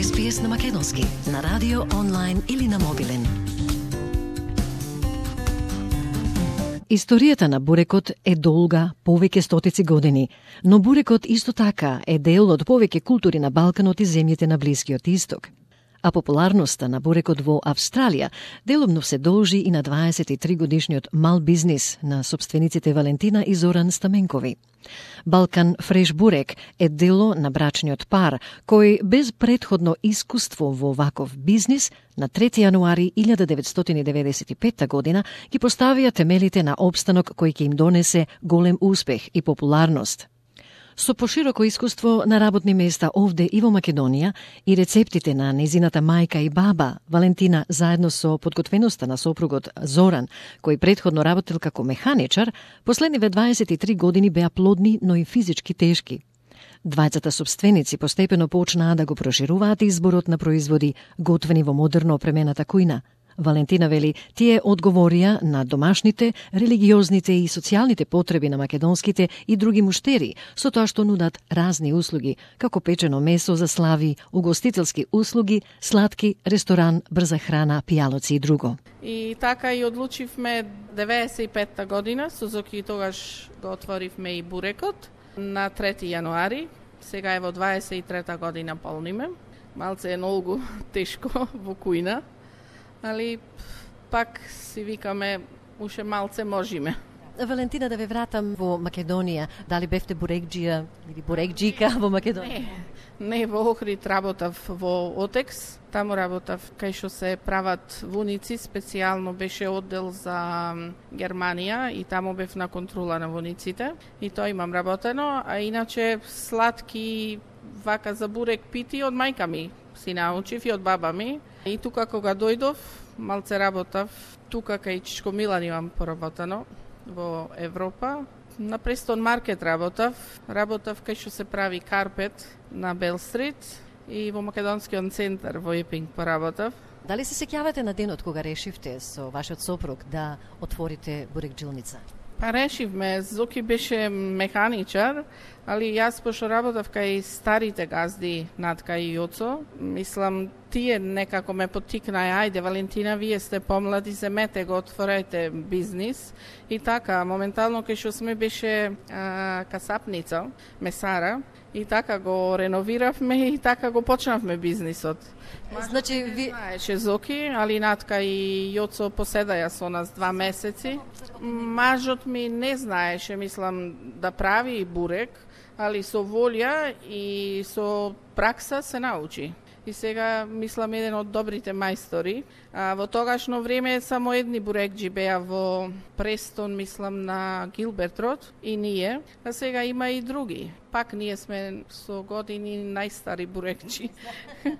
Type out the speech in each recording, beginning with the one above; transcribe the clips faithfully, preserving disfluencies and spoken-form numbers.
Ес Пи Ес на македонски, на радио, онлайн или на мобилен. Историјата на бурекот е долга, повеќе стотици години, но бурекот исто така е дел од повеќе култури на Балканот и земјите на Блискиот Исток. А популарноста на бурекот во Австралија делумно се должи и на дваесет и три годишниот мал бизнис на собствениците Валентина и Зоран Стаменкови. Балкан Фреш Бурек е дело на брачниот пар, кој без претходно искуство во ваков бизнис на трети јануари илјада деветстотини деветдесет и петта година ги поставија темелите на опстанок кој ќе им донесе голем успех и популарност. Со пошироко искуство на работни места овде и во Македонија и рецептите на незината мајка и баба, Валентина заедно со подготвеноста на сопругот Зоран, кој претходно работел како механичар, последниве дваесет и три години беа плодни, но и физички тешки. Двајцата собственици постепено почнаа да го прошируваат изборот на производи готвени во модерно опремената кујна. Валентина вели, тие одговорија на домашните, религиозните и социјалните потреби на македонските и други муштери, со тоа што нудат разни услуги, како печено месо за слави, угостителски услуги, сладки, ресторан, брза храна, пијалоци и друго. И така и одлучивме деветдесет и петта година, со Зоки тогаш го отворивме и бурекот на трети јануари. Сега е во дваесет и трета година полниме. Малце е многу тешко во кујна, али пак си викаме, уше малце можеме. Валентина, да ве вратам во Македонија. Дали бевте бурекџија или бурекџика во Македонија? Не, не во Охрид работав во Отекс. Таму работав кај што се прават вуници, специјално беше оддел за Германија и таму бев на контрола на вуниците. И тоа имам работено, а иначе сладки вака за бурек пити од мајка ми си научив и од баба ми. И тука кога дојдов, малце работав, тука кај Чичко Милан имам поработено во Европа. На Престон Маркет работав, работав кај што се прави карпет на Бел Стрит и во Македонскиот центар во Епинг поработав. Дали се сеќавате на денот кога решивте со вашиот сопруг да отворите бурекджилница? Па решивме, Зоки беше механичар, али јас пошто работав кај старите газди над кај Јоцо, мислам, тие некако ме поттикнаа, ајде Валентина, вие сте помлади, земете го, отворете бизнис. И така, моментално кај што сме беше а, касапница, месара, и така го реновиравме и така го почнавме бизнисот. Значи, ви... знаеше Зоки, али над кај Јоцо поседаја со нас два месеци. Мажот ми не знаеше, мислам, да прави бурек, али со волја и со пракса се научи. И сега, мислам, еден од добрите мајстори. А, во тогашно време само едни бурекџи беа во Престон, мислам, на Гилберт Род и ние. А сега има и други. Пак ние сме со години најстари бурекџи.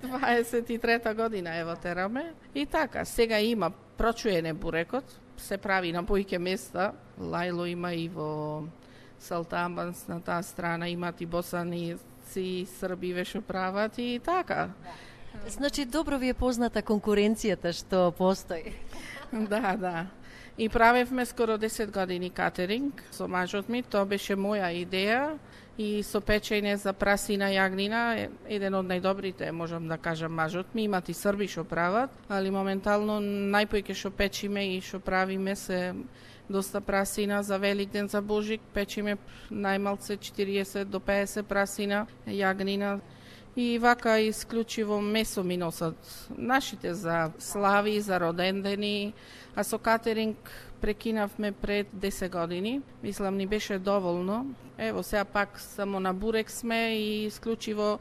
дваесет и трета година ево тераме. И така, сега има прочуене бурекот, се прави на поиќе места. Лајло има и во Салтамбанс на таа страна, имат и босани и срби веше прават и така. Значи, добро ви е позната конкуренцијата што постои. Да, да. И правевме скоро десет години катеринг со мажот ми, тоа беше моја идеја и со печење за прасина јагнина, еден од најдобрите, можам да кажам, мажот ми, имат и срби што прават, али моментално најпојќе што печиме и што правиме се доста прасина за Великден, за Божик, печиме најмалце четириесет до пеесет прасина, јагнина. И вака исклучиво месо ми носат нашите за слави, за родендени, а со катеринг прекинавме пред десет години. Мислам, ни беше доволно. Ево, сега пак само на бурек сме и исклучиво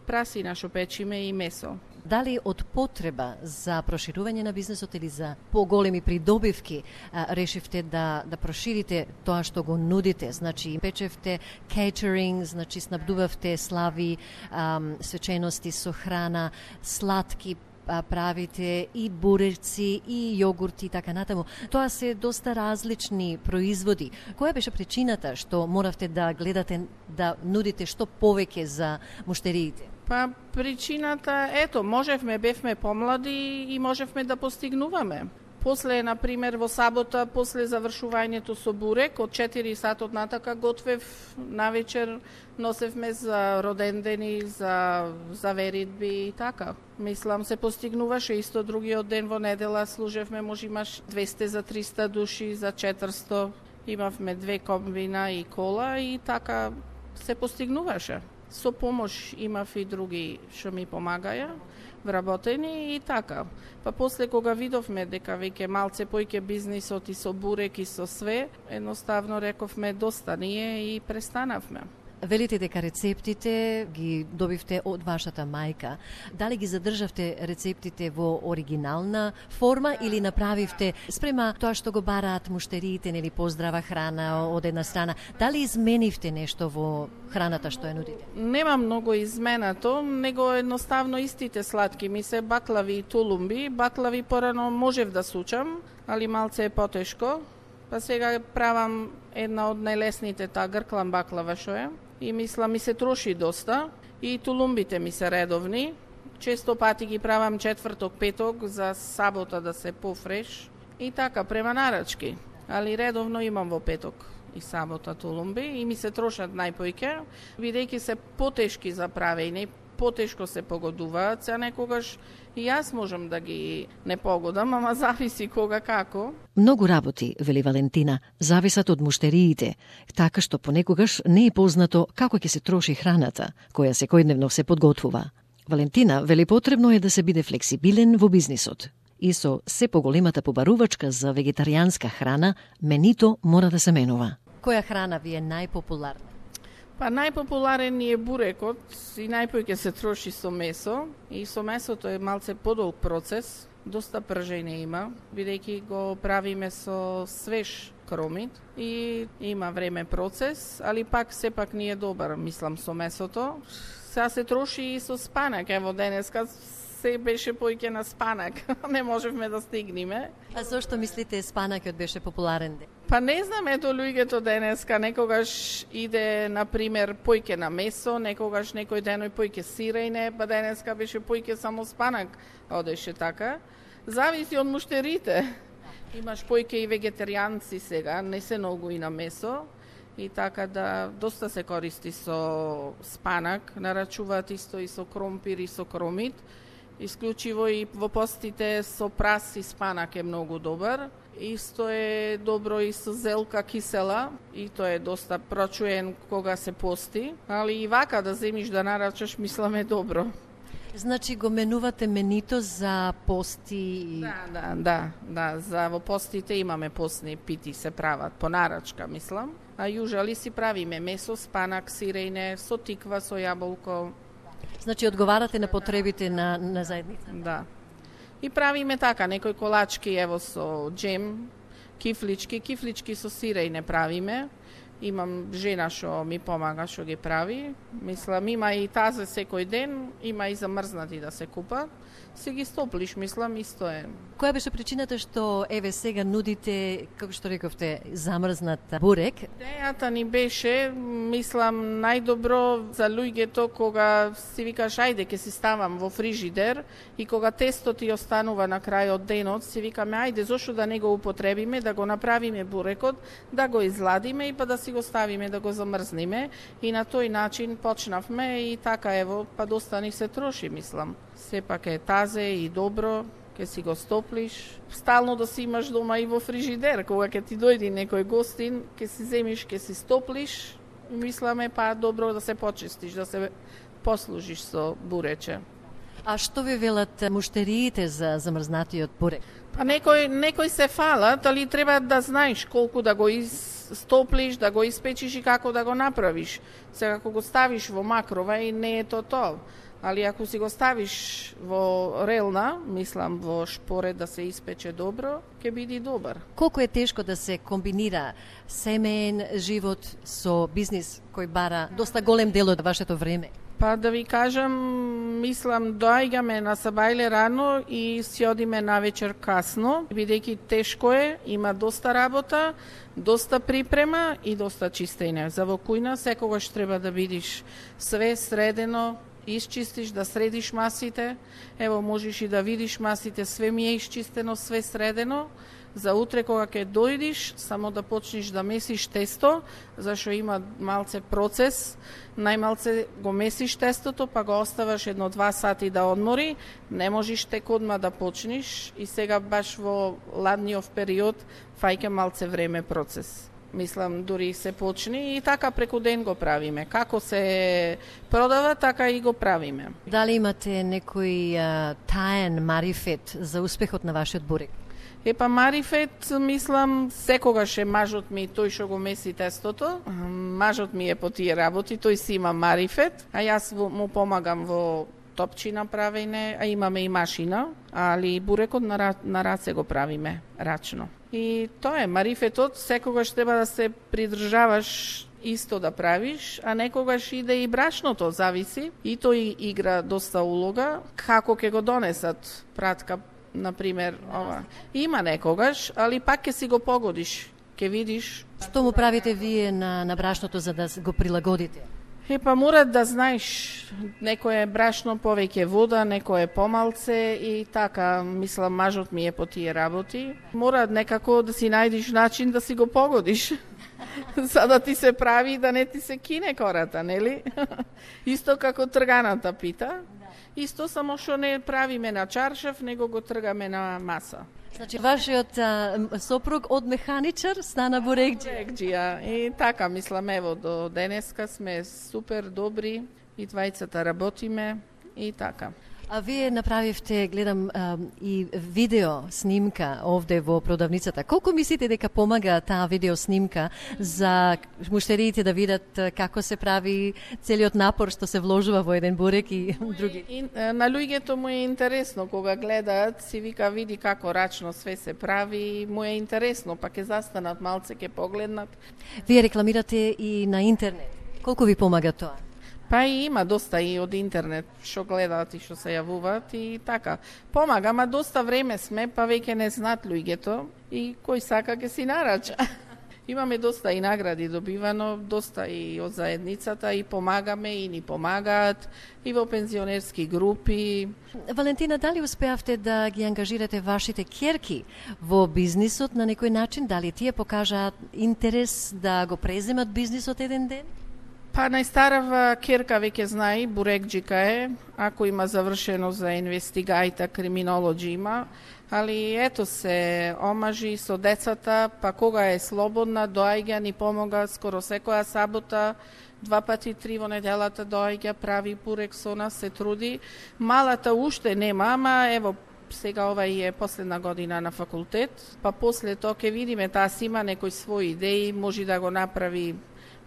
прасина што печиме и месо. Дали од потреба за проширување на бизнесот или за поголеми придобивки а, решивте да да проширите тоа што го нудите? Значи, печевте кейтеринг, значи снабдувавте слави, а, свечености со храна, сладки, а, правите и буреци, и јогурти и така натаму. Тоа се доста различни производи. Која беше причината што моравте да гледате да нудите што повеќе за муштериите? Па причината, ето, можевме, бевме помлади и можевме да постигнуваме. После, например, во сабота, после завршувањето со бурек, од четири сатот натака готвев, навечер носевме за родендени, за, за веридби и така. Мислам, се постигнуваше исто другиот ден во недела, служевме, може имаш двесте за триста души, за четиристо, имавме две комбина и кола и така се постигнуваше. Со помош имав и други што ми помагаја, вработени и така. Па после кога видовме дека веќе малце појќе бизнисот и со бурек и со све, едноставно рековме доста ние и престанавме. Велите дека рецептите ги добивте од вашата мајка. Дали ги задржавте рецептите во оригинална форма или направивте спрема тоа што го бараат муштериите, нели поздрава храна од една страна? Дали изменивте нешто во храната што ја нудите? Нема многу изменато, него едноставно истите сладки ми се баклави и тулумби. Баклави порано можев да сучам, али малце е потешко. Па сега правам една од најлесните, таа грклан баклава што е. И мислам, ми се троши доста. И тулумбите ми се редовни. Често пати ги правам четврток, петок за сабота да се пофреш. И така, према нарачки. Али редовно имам во петок и сабота тулумби и ми се трошат најпојќе, бидејќи се потешки за правење, потешко се погодуваат, се некогаш и јас можам да ги не погодам, ама зависи кога како. Многу работи, вели Валентина, зависат од муштериите, така што понекогаш не е познато како ќе се троши храната, која секојдневно се подготвува. Валентина вели потребно е да се биде флексибилен во бизнисот. И со се поголемата побарувачка за вегетаријанска храна, менито мора да се менува. Која храна ви е најпопуларна? Па најпопуларен ни е бурекот и најпојќе се троши со месо. И со месото е малце подолг процес, доста пржење има, бидејќи го правиме со свеж кромит и има време процес, али пак сепак ни е добар, мислам, со месото. Сега се троши и со спанак, ево денеска се беше појќе на спанак, не можевме да стигнеме. А зошто мислите спанакот беше популарен ден? Па не знам, ето луѓето денеска некогаш иде, например, појќе на месо, некогаш некој деној појќе сирејне, па денеска беше појќе само спанак, одеше така. Зависи од муштерите. Имаш појќе и вегетаријанци сега, не се многу и на месо. И така да доста се користи со спанак, нарачуваат исто и со кромпир и со кромит. Исклучиво и во постите со прас и спанак е многу добар. Исто е добро и со зелка кисела, и тоа е доста прочуен кога се пости, али и вака да земиш да нарачаш, мислам е добро. Значи го менувате менито за пости? Да, да, да, да, за во постите имаме постни пити се прават по нарачка, мислам. А јужали си правиме месо, спанак, сирејне, со тиква, со јаболко. Значи одговарате на потребите на, на заедница? Да. И правиме така, некои колачки ево со джем, кифлички, кифлички со сирејне правиме. Имам жена што ми помага, што ги прави. Мислам, има и тазе секој ден, има и замрзнати да се купат. Се ги стоплиш, мислам, исто е. Која беше причината што еве сега нудите, како што рековте, замрзнат бурек? Идејата ни беше, мислам, најдобро за луѓето кога си викаш ајде ќе си ставам во фрижидер и кога тесто ти останува на крајот денот, си викаме ајде зошто да не го употребиме, да го направиме бурекот, да го изладиме и па да си го ставиме да го замрзниме и на тој начин почнавме и така ево, па доста ни се троши, мислам. Сепак е тазе и добро, ќе си го стоплиш. Стално да си имаш дома и во фрижидер, кога ќе ти дојди некој гостин, ќе си земиш, ќе си стоплиш, мисламе па добро да се почистиш, да се послужиш со бурече. А што ви велат муштериите за замрзнатиот бурек? Па некој, некој се фалат, али треба да знаеш колку да го истоплиш, да го испечиш и како да го направиш. Сега ако го ставиш во макрова и не е то тоа. Али ако си го ставиш во релна, мислам во шпоред да се испече добро, ќе биде добар. Колку е тешко да се комбинира семеен живот со бизнис кој бара доста голем дел од вашето време? Па да ви кажам, мислам, доаѓаме на сабајле рано и си одиме навечер касно, бидејќи тешко е, има доста работа, доста припрема и доста чистење. За во кујна секогаш треба да бидиш све средено, исчистиш, да средиш масите. Ево, можеш и да видиш масите, све ми е исчистено, све средено. За утре кога ќе дојдиш, само да почнеш да месиш тесто, зашто има малце процес. Најмалце го месиш тестото, па го оставаш едно-два сати да одмори. Не можеш тек одма да почнеш и сега баш во ладниот период фаќа малце време процес. Мислам, дури се почни и така преку ден го правиме. Како се продава, така и го правиме. Дали имате некој а, таен марифет за успехот на вашиот бурек? Епа марифет, мислам, секогаш е мажот ми тој што го меси тестото. Мажот ми е по тие работи, тој си има марифет, а јас му помагам во топчина правење, а имаме и машина, али бурекот на, на раце го правиме, рачно. И тоа е марифетот, секогаш треба да се придржаваш исто да правиш, а некогаш иде и брашното, зависи. И тој игра доста улога, како ќе го донесат пратка, например, ова. Има некогаш, али пак ќе си го погодиш, ќе видиш. Што му правите вие на, на брашното за да го прилагодите? Епа, мора да знаеш, некој е брашно повеќе вода, некој е помалце и така, мислам, мажот ми е по тие работи. Мора некако да си најдиш начин да си го погодиш. За да ти се прави да не ти се кине кората, нели? Исто како трганата пита. Исто, само што не правиме на чаршав, него го тргаме на маса. Значи, вашиот а, сопруг од механичар стана бурекџија. Бурекџија. И така, мислам, ево, до денеска сме супер добри и двајцата работиме и така. А вие направивте, гледам, а, и видео снимка овде во продавницата. Колку мислите дека помага таа видео снимка за муштериите да видат како се прави целиот напор што се вложува во еден бурек и други? И, на луѓето му е интересно кога гледаат, си вика види како рачно све се прави, му е интересно, па ќе застанат малце, ќе погледнат. Вие рекламирате и на интернет. Колку ви помага тоа? Па и има доста и од интернет, што гледаат и што се јавуваат и така. Помага, ма доста време сме, па веќе не знаат луѓето и кој сака ќе си нарача. Имаме доста и награди добивано, доста и од заедницата и помагаме и ни помагаат и во пензионерски групи. Валентина, дали успеавте да ги ангажирате вашите ќерки во бизнисот на некој начин? Дали тие покажаат интерес да го преземат бизнисот еден ден? Па најстарава ќерка веќе знае, бурекџика е, ако има завршено за инвестигајта, криминолоџи има, али ето се омажи со децата, па кога е слободна, доаѓа, ни помога скоро секоја сабота, два пати три во неделата доаѓа, прави бурек со нас, се труди. Малата уште нема, ама ево, сега ова е последна година на факултет, па после тоа ќе видиме, таа си има некои своји идеи, може да го направи.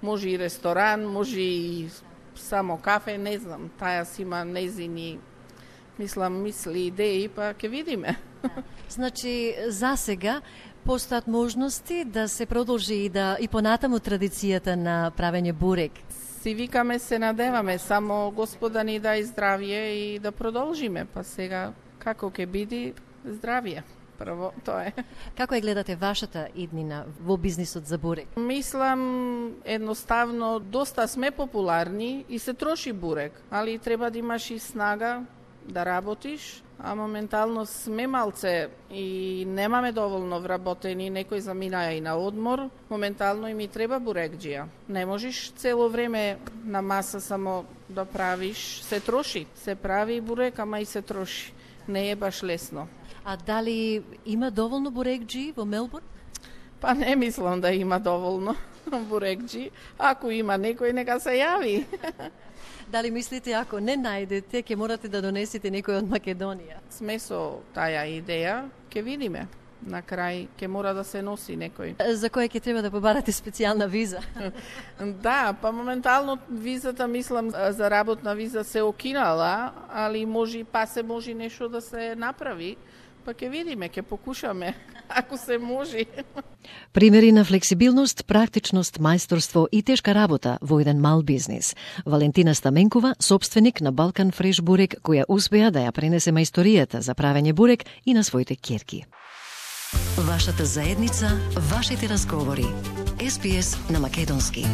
Може и ресторан, може и само кафе, не знам. Таја си има незини, мислам, мисли, идеи, па ќе видиме. Значи, за сега постојат можности да се продолжи и да и понатаму традицијата на правење бурек. Си викаме, се надеваме, само Господа ни дај здравје и да продолжиме, па сега како ќе биде здравје. Прво, тоа е. Како ја гледате вашата иднина во бизнисот за бурек? Мислам, едноставно, доста сме популарни и се троши бурек, али треба да имаш и снага да работиш, а моментално сме малце и немаме доволно вработени, некој заминаја и на одмор, моментално и ми треба бурекџија. Не можеш цело време на маса само да правиш, се троши, се прави бурек, ама и се троши. Не е баш лесно. А дали има доволно бурекџи во Мелбурн? Па не мислам да има доволно бурекџи. Ако има некој, нека се јави. Дали мислите, ако не најдете, ќе морате да донесете некој од Македонија? Сме со таја идеја, ќе видиме. На крај ќе мора да се носи некој. За кој ќе треба да побарате специјална виза? Да, па моментално визата, мислам, за работна виза се окинала, али може па се може нешто да се направи. Па ќе видиме, ќе покушаме, ако се може. Примери на флексибилност, практичност, мајсторство и тешка работа во еден мал бизнис. Валентина Стаменкова, собственик на Балкан Фреш бурек, која успеа да ја пренесе мајсторијата за правење бурек и на своите ќерки. Вашата заедница, вашите разговори. Ес Би Ес на македонски.